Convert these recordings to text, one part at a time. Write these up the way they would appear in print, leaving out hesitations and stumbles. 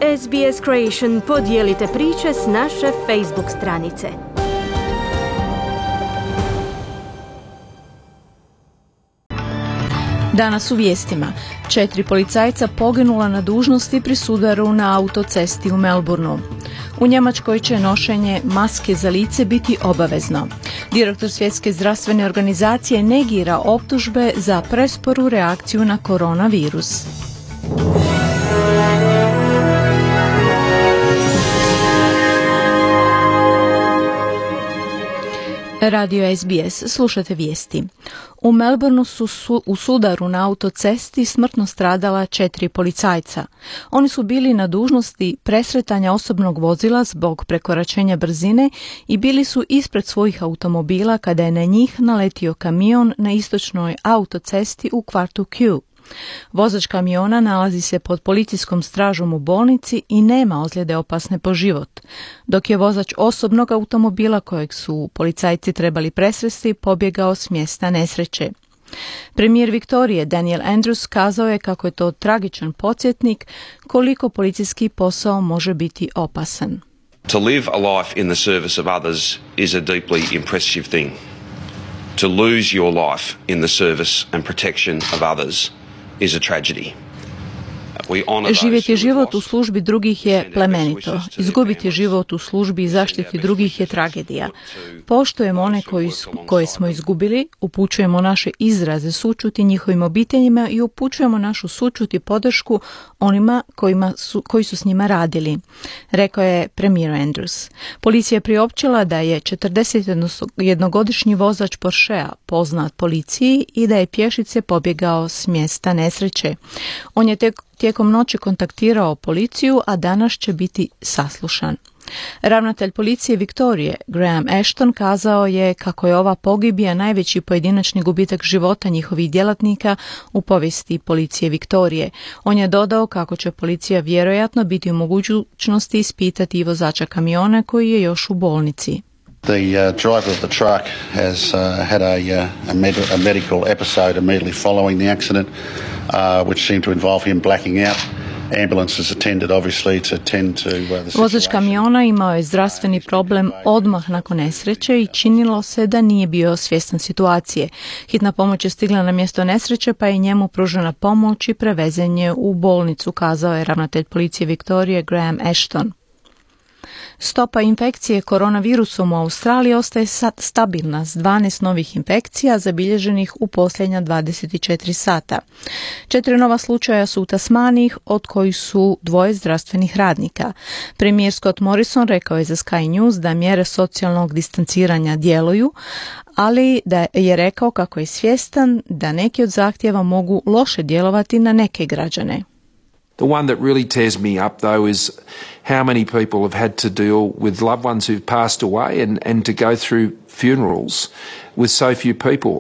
SBS Creation podijelite priče s naše Facebook stranice. Danas u vijestima. 4 policajca poginula na dužnosti pri sudaru na autocesti u Melbourneu. U Njemačkoj će nošenje maske za lice biti obavezno. Direktor Svjetske zdravstvene organizacije negira optužbe za presporu reakciju na koronavirus. Radio SBS, slušate vijesti. U Melbourneu su u sudaru na autocesti smrtno stradala 4 policajca. Oni su bili na dužnosti presretanja osobnog vozila zbog prekoračenja brzine i bili su ispred svojih automobila kada je na njih naletio kamion na istočnoj autocesti u kvartu Kew. Vozač kamiona nalazi se pod policijskom stražom u bolnici i nema ozljede opasne po život, dok je vozač osobnog automobila kojeg su policajci trebali presresti pobjegao s mjesta nesreće. Premijer Viktorije Daniel Andrews kazao je kako je to tragičan podsjetnik koliko policijski posao može biti opasan. To live a life in the service of others is a deeply impressive thing. To lose your life in the service and protection of others is a tragedy. Živjeti život u službi drugih je plemenito. Izgubiti život u službi i zaštiti drugih je tragedija. Poštujemo one koje smo izgubili, upućujemo naše izraze sućuti njihovim obiteljima i upućujemo našu sućut i podršku onima koji su s njima radili, rekao je premijer Andrews. Policija je priopćila da je 41-godišnji vozač Porschea poznat policiji i da je pješice pobjegao s mjesta nesreće. On je tijekom noći kontaktirao policiju, a danas će biti saslušan. Ravnatelj policije Viktorije, Graham Ashton, kazao je kako je ova pogibija najveći pojedinačni gubitak života njihovih djelatnika u povijesti policije Viktorije. On je dodao kako će policija vjerojatno biti u mogućnosti ispitati i vozača kamiona koji je još u bolnici. The driver of the truck has had a medical episode immediately following the accident, which seemed to involve him blacking out. Ambulances attended obviously to tend to the situation. Vozač kamiona imao je zdravstveni problem odmah nakon nesreće i činilo se da nije bio svjestan situacije. Hitna pomoć je stigla na mjesto nesreće pa je njemu pružena pomoć i prevezen je u bolnicu, kazao je ravnatelj policije Viktorije Graham Ashton. Stopa infekcije koronavirusom u Australiji ostaje stabilna s 12 novih infekcija zabilježenih u posljednja 24 sata. 4 nova slučaja su u Tasmaniji, od kojih su 2 zdravstvenih radnika. Premijer Scott Morrison rekao je za Sky News da mjere socijalnog distanciranja djeluju, ali da je rekao kako je svjestan da neki od zahtjeva mogu loše djelovati na neke građane. The one that really tears me up, though, is how many people have had to deal with loved ones who've passed away and to go through funerals with so few people.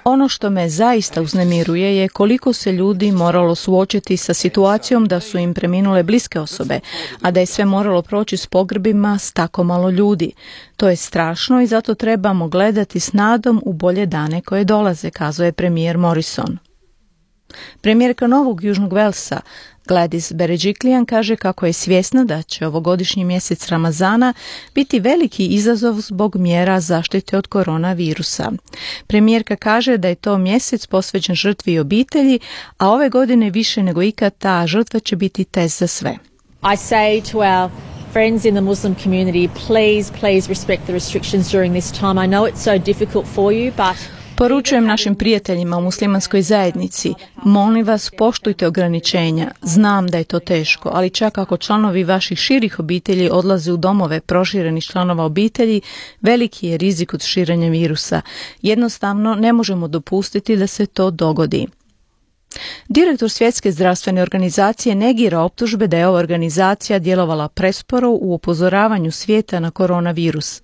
Ono što me zaista uznemiruje je koliko se ljudi moralo suočiti sa situacijom da su im preminule bliske osobe, a da je sve moralo proći s pogrebima s tako malo ljudi. To je strašno i zato trebamo gledati s nadom u bolje dane koje dolaze, kazao je premijer Morrison. Premijerka Novog Južnog Velsa Gladys Berejiklian kaže kako je svjesna da će ovogodišnji mjesec Ramazana biti veliki izazov zbog mjera zaštite od koronavirusa. Premijerka kaže da je to mjesec posvećen žrtvi i obitelji, a ove godine više nego ikad ta žrtva će biti test za sve. I say to our friends in the Muslim community, please respect the restrictions during this time. I know it's so difficult for you, but Poručujem našim prijateljima u muslimanskoj zajednici, molim vas poštujte ograničenja, znam da je to teško, ali čak ako članovi vaših širih obitelji odlaze u domove proširenih članova obitelji, veliki je rizik od širenja virusa. Jednostavno ne možemo dopustiti da se to dogodi. Direktor Svjetske zdravstvene organizacije negira optužbe da je ova organizacija djelovala presporo u upozoravanju svijeta na koronavirus.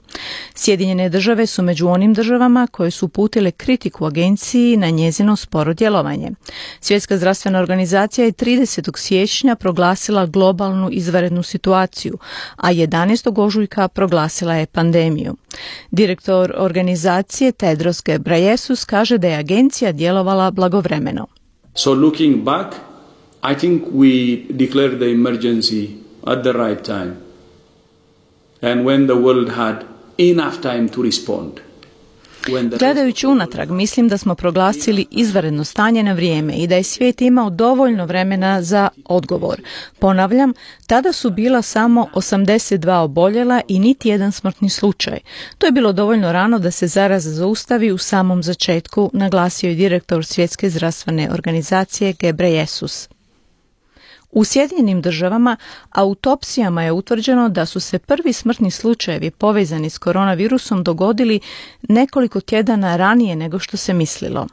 Sjedinjene države su među onim državama koje su uputile kritiku agenciji na njezino sporo djelovanje. Svjetska zdravstvena organizacija je 30. siječnja proglasila globalnu izvanrednu situaciju, a 11. ožujka proglasila je pandemiju. Direktor organizacije Tedros Ghebreyesus kaže da je agencija djelovala blagovremeno. So looking back, I think we declared the emergency at the right time and when the world had enough time to respond. Gledajući unatrag, mislim da smo proglasili izvanredno stanje na vrijeme i da je svijet imao dovoljno vremena za odgovor. Ponavljam, tada su bila samo 82 oboljela i niti jedan smrtni slučaj. To je bilo dovoljno rano da se zaraza zaustavi u samom začetku, naglasio je direktor Svjetske zdravstvene organizacije Gebreyesus. U Sjedinjenim državama autopsijama je utvrđeno da su se prvi smrtni slučajevi povezani s koronavirusom dogodili nekoliko tjedana ranije nego što se mislilo.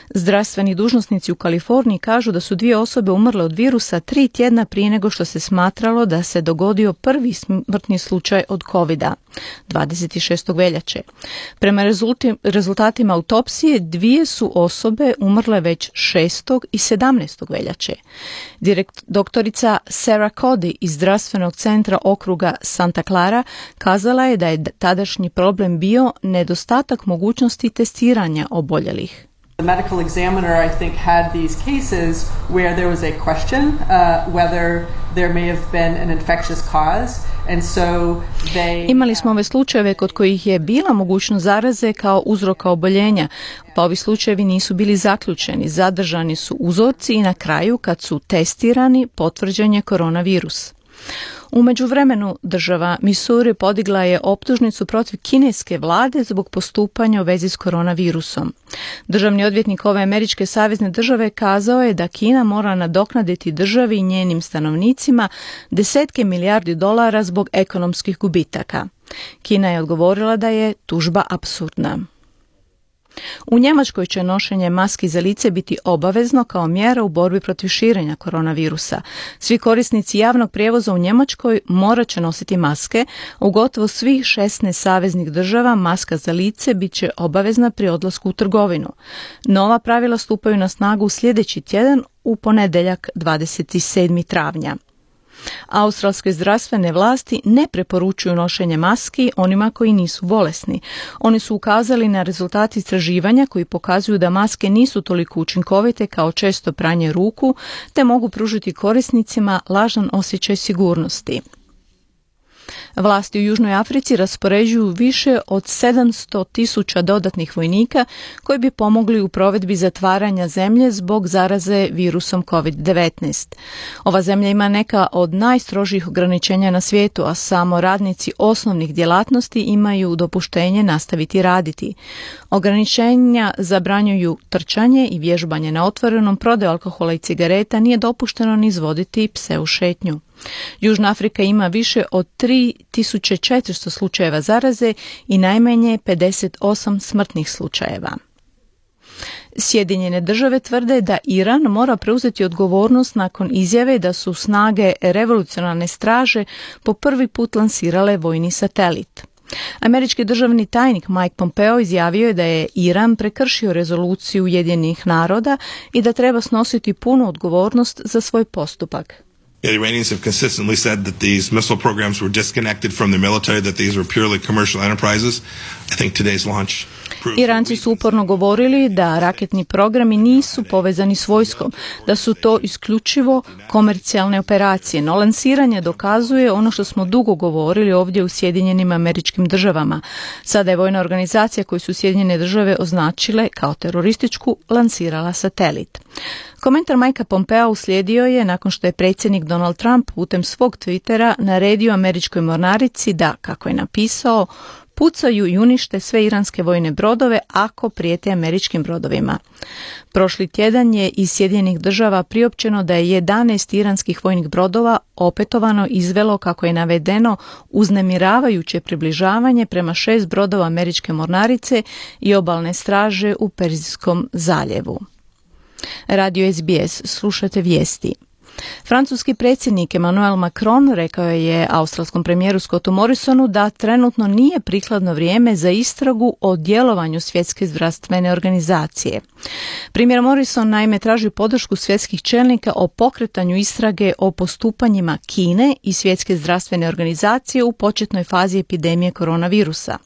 Zdravstveni dužnosnici u Kaliforniji kažu da su 2 osobe umrle od virusa 3 tjedna prije nego što se smatralo da se dogodio prvi smrtni slučaj od covida, 26. veljače. Prema rezultatima autopsije 2 su osobe umrle već 6. i 17. veljače. Doktorica Sarah Cody iz zdravstvenog centra okruga Santa Clara kazala je da je tadašnji problem bio nedostatak mogućnosti testiranja oboljelih. The medical examiner, I think, had these cases where there was a question whether there may have been an infectious cause, and so Imali smo ove slučajeve kod kojih je bila mogućnost zaraze kao uzroka oboljenja, pa ovi slučajevi nisu bili zaključeni, zadržani su uzorci i na kraju, kad su testirani, potvrđen je koronavirus. U međuvremenu država Missouri podigla je optužnicu protiv kineske vlade zbog postupanja u vezi s koronavirusom. Državni odvjetnik ove američke savezne države kazao je da Kina mora nadoknaditi državi i njenim stanovnicima desetke milijardi dolara zbog ekonomskih gubitaka. Kina je odgovorila da je tužba apsurdna. U Njemačkoj će nošenje maski za lice biti obavezno kao mjera u borbi protiv širenja koronavirusa. Svi korisnici javnog prijevoza u Njemačkoj morat će nositi maske. U gotovo svih 16 saveznih država maska za lice bit će obavezna pri odlasku u trgovinu. Nova pravila stupaju na snagu sljedeći tjedan u ponedjeljak 27. travnja. Australske zdravstvene vlasti ne preporučuju nošenje maski onima koji nisu bolesni. Oni su ukazali na rezultate istraživanja koji pokazuju da maske nisu toliko učinkovite kao često pranje ruku, te mogu pružiti korisnicima lažan osjećaj sigurnosti. Vlasti u Južnoj Africi raspoređuju više od 700.000 dodatnih vojnika koji bi pomogli u provedbi zatvaranja zemlje zbog zaraze virusom COVID-19. Ova zemlja ima neka od najstrožih ograničenja na svijetu, a samo radnici osnovnih djelatnosti imaju dopuštenje nastaviti raditi. Ograničenja zabranjuju trčanje i vježbanje na otvorenom, prodaju alkohola i cigareta, nije dopušteno ni izvoditi pse u šetnju. Južna Afrika ima više od 3400 slučajeva zaraze i najmanje 58 smrtnih slučajeva. Sjedinjene države tvrde da Iran mora preuzeti odgovornost nakon izjave da su snage revolucionarne straže po prvi put lansirale vojni satelit. Američki državni tajnik Mike Pompeo izjavio je da je Iran prekršio rezoluciju Ujedinjenih naroda i da treba snositi punu odgovornost za svoj postupak. The Iranians have consistently said that these missile programs were disconnected from the military, that these were purely commercial enterprises. I think today's launch Iranci su uporno govorili da raketni programi nisu povezani s vojskom, da su to isključivo komercijalne operacije, no lansiranje dokazuje ono što smo dugo govorili ovdje u Sjedinjenim Američkim Državama. Sada je vojna organizacija koju su Sjedinjene Države označile kao terorističku lansirala satelit. Komentar Mikea Pompea uslijedio je nakon što je predsjednik Donald Trump putem svog Twittera naredio američkoj mornarici da, kako je napisao, pucaju i unište sve iranske vojne brodove ako prijete američkim brodovima. Prošli tjedan je iz Sjedinjenih Država priopćeno da je 11 iranskih vojnih brodova opetovano izvelo, kako je navedeno, uznemiravajuće približavanje prema 6 brodova američke mornarice i obalne straže u Perzijskom zaljevu. Radio SBS, slušate vijesti. Francuski predsjednik Emmanuel Macron rekao je australskom premijeru Scottu Morrisonu da trenutno nije prikladno vrijeme za istragu o djelovanju Svjetske zdravstvene organizacije. Premijer Morrison naime traži podršku svjetskih čelnika o pokretanju istrage o postupanjima Kine i Svjetske zdravstvene organizacije u početnoj fazi epidemije koronavirusa.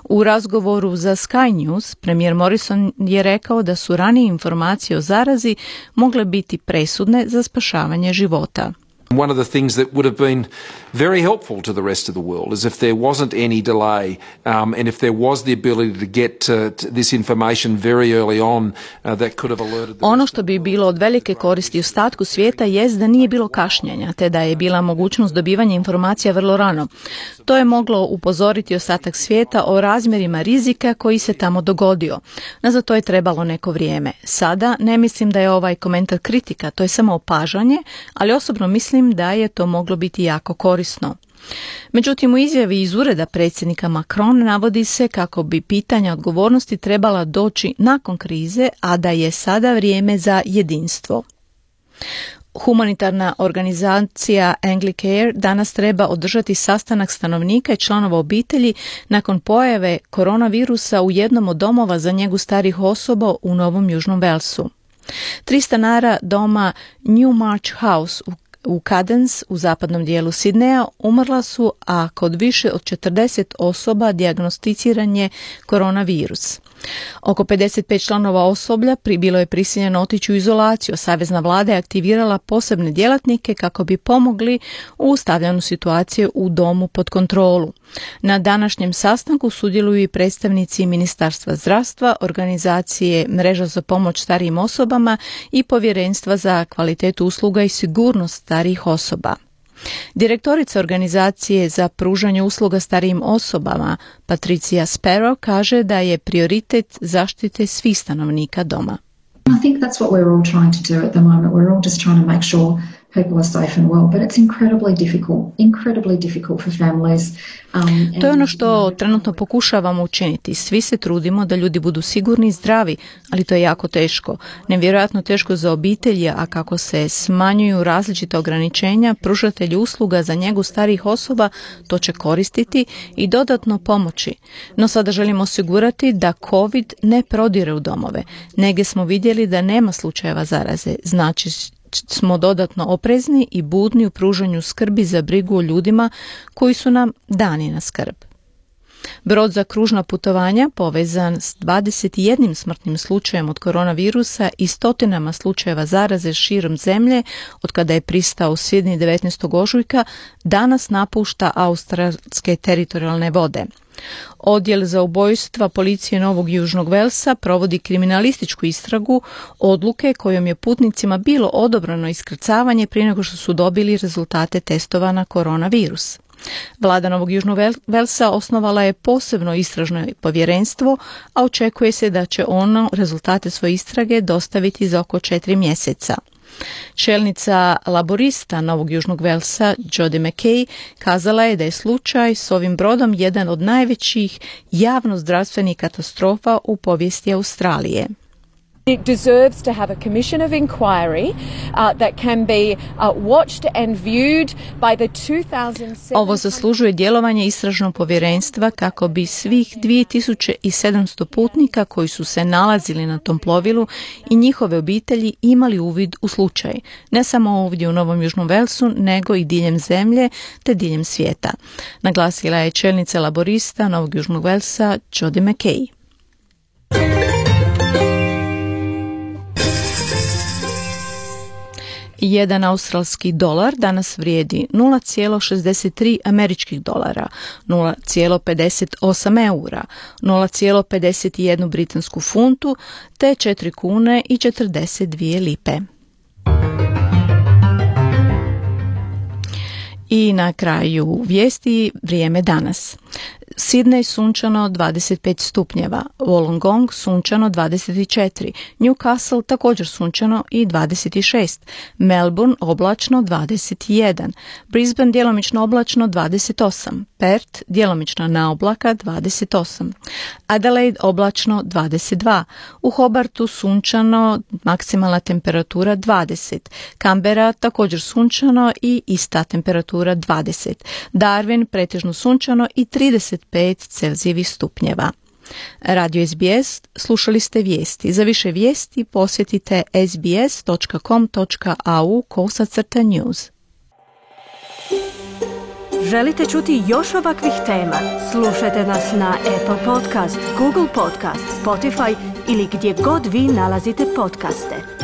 U razgovoru za Sky News, premijer Morrison je rekao da su ranije informacije o zarazi mogle biti presudne za spašavanje života. One of the things that would have been very helpful to the rest of the world is if there wasn't any delay and if there was the ability to get this information very early on that could have alerted the Ono što bi bilo od velike koristi ostatku svijeta jest da nije bilo kašnjenja, te da je bila mogućnost dobivanja informacija vrlo rano. To je moglo upozoriti ostatak svijeta o razmjerima rizika koji se tamo dogodio. No za to je trebalo neko vrijeme. Sada ne mislim da je ovaj komentar kritika, to je samo opažanje, ali osobno mislim da je to moglo biti jako korisno. Međutim, u izjavi iz ureda predsjednika Macron navodi se kako bi pitanja odgovornosti trebala doći nakon krize, a da je sada vrijeme za jedinstvo. Humanitarna organizacija Anglicare danas treba održati sastanak stanovnika i članova obitelji nakon pojave koronavirusa u jednom od domova za njegu starih osoba u Novom Južnom Walesu. 3 stanara doma New March House u Cadence u zapadnom dijelu Sidneja umrla su, a kod više od 40 osoba dijagnosticiran je koronavirus. Oko 55 članova osoblja bilo je prisiljeno otići u izolaciju. Savezna vlada je aktivirala posebne djelatnike kako bi pomogli u stavljanju situacije u domu pod kontrolu. Na današnjem sastanku sudjeluju i predstavnici Ministarstva zdravstva, organizacije Mreža za pomoć starijim osobama i Povjerenstva za kvalitetu usluga i sigurnost starijih osoba. Direktorica organizacije za pružanje usluga starijim osobama, Patricia Sparrow, kaže da je prioritet zaštite svih stanovnika doma. I think that's what we're all trying to do at the moment. We're all just trying to make sure people are safe and well, but it's incredibly difficult for families. To je ono što trenutno pokušavamo učiniti. Svi se trudimo da ljudi budu sigurni i zdravi, ali to je jako teško. Nevjerojatno teško za obitelji, a kako se smanjuju različita ograničenja, pružatelji usluga za njegu starijih osoba to će koristiti i dodatno pomoći. No sada želimo osigurati da COVID ne prodire u domove. Negdje smo vidjeli da nema slučajeva zaraze, znači smo dodatno oprezni i budni u pružanju skrbi za brigu o ljudima koji su nam dani na skrb. Brod za kružna putovanja povezan s 21 smrtnim slučajem od koronavirusa i stotinama slučajeva zaraze širom zemlje od kada je pristao u Sidney 19. ožujka danas napušta australske teritorijalne vode. Odjel za ubojstva policije Novog Južnog Velsa provodi kriminalističku istragu odluke kojom je putnicima bilo odobreno iskrcavanje prije nego što su dobili rezultate testova na koronavirus. Vlada Novog Južnog Velsa osnovala je posebno istražno povjerenstvo, a očekuje se da će ono rezultate svoje istrage dostaviti za oko 4 mjeseca. Čelnica laborista Novog Južnog Velsa, Jodie McKay, kazala je da je slučaj s ovim brodom jedan od najvećih javnozdravstvenih katastrofa u povijesti Australije. It deserves to have a commission of inquiry that can be watched and viewed by the 2007. Ovo zaslužuje djelovanje istražnog povjerenstva kako bi svih 2700 putnika koji su se nalazili na tom plovilu i njihove obitelji imali uvid u slučaj. Ne samo ovdje u Novom Južnom Velsu, nego i diljem zemlje te diljem svijeta. Naglasila je čelnica laborista Novog Južnog Velsa, Jodie McKay. Jedan australski dolar danas vrijedi 0,63 američkih dolara, 0,58 eura, 0,51 britansku funtu te 4 kune i 42 lipe. I na kraju vijesti vrijeme danas. Sidney sunčano 25 stupnjeva, Wollongong sunčano 24, Newcastle također sunčano i 26, Melbourne oblačno 21, Brisbane djelomično oblačno 28, Perth djelomično na oblaka 28, Adelaide oblačno 22, u Hobartu sunčano, maksimalna temperatura 20, Canberra također sunčano i ista temperatura 20, Darwin pretežno sunčano i 35 Celzijevih stupnjeva. Radio SBS, slušali ste vijesti. Za više vijesti posjetite sbs.com.au/news. Želite čuti još ovakvih tema? Slušajte nas na Apple Podcast, Google Podcast, Spotify ili gdje god vi nalazite podcaste.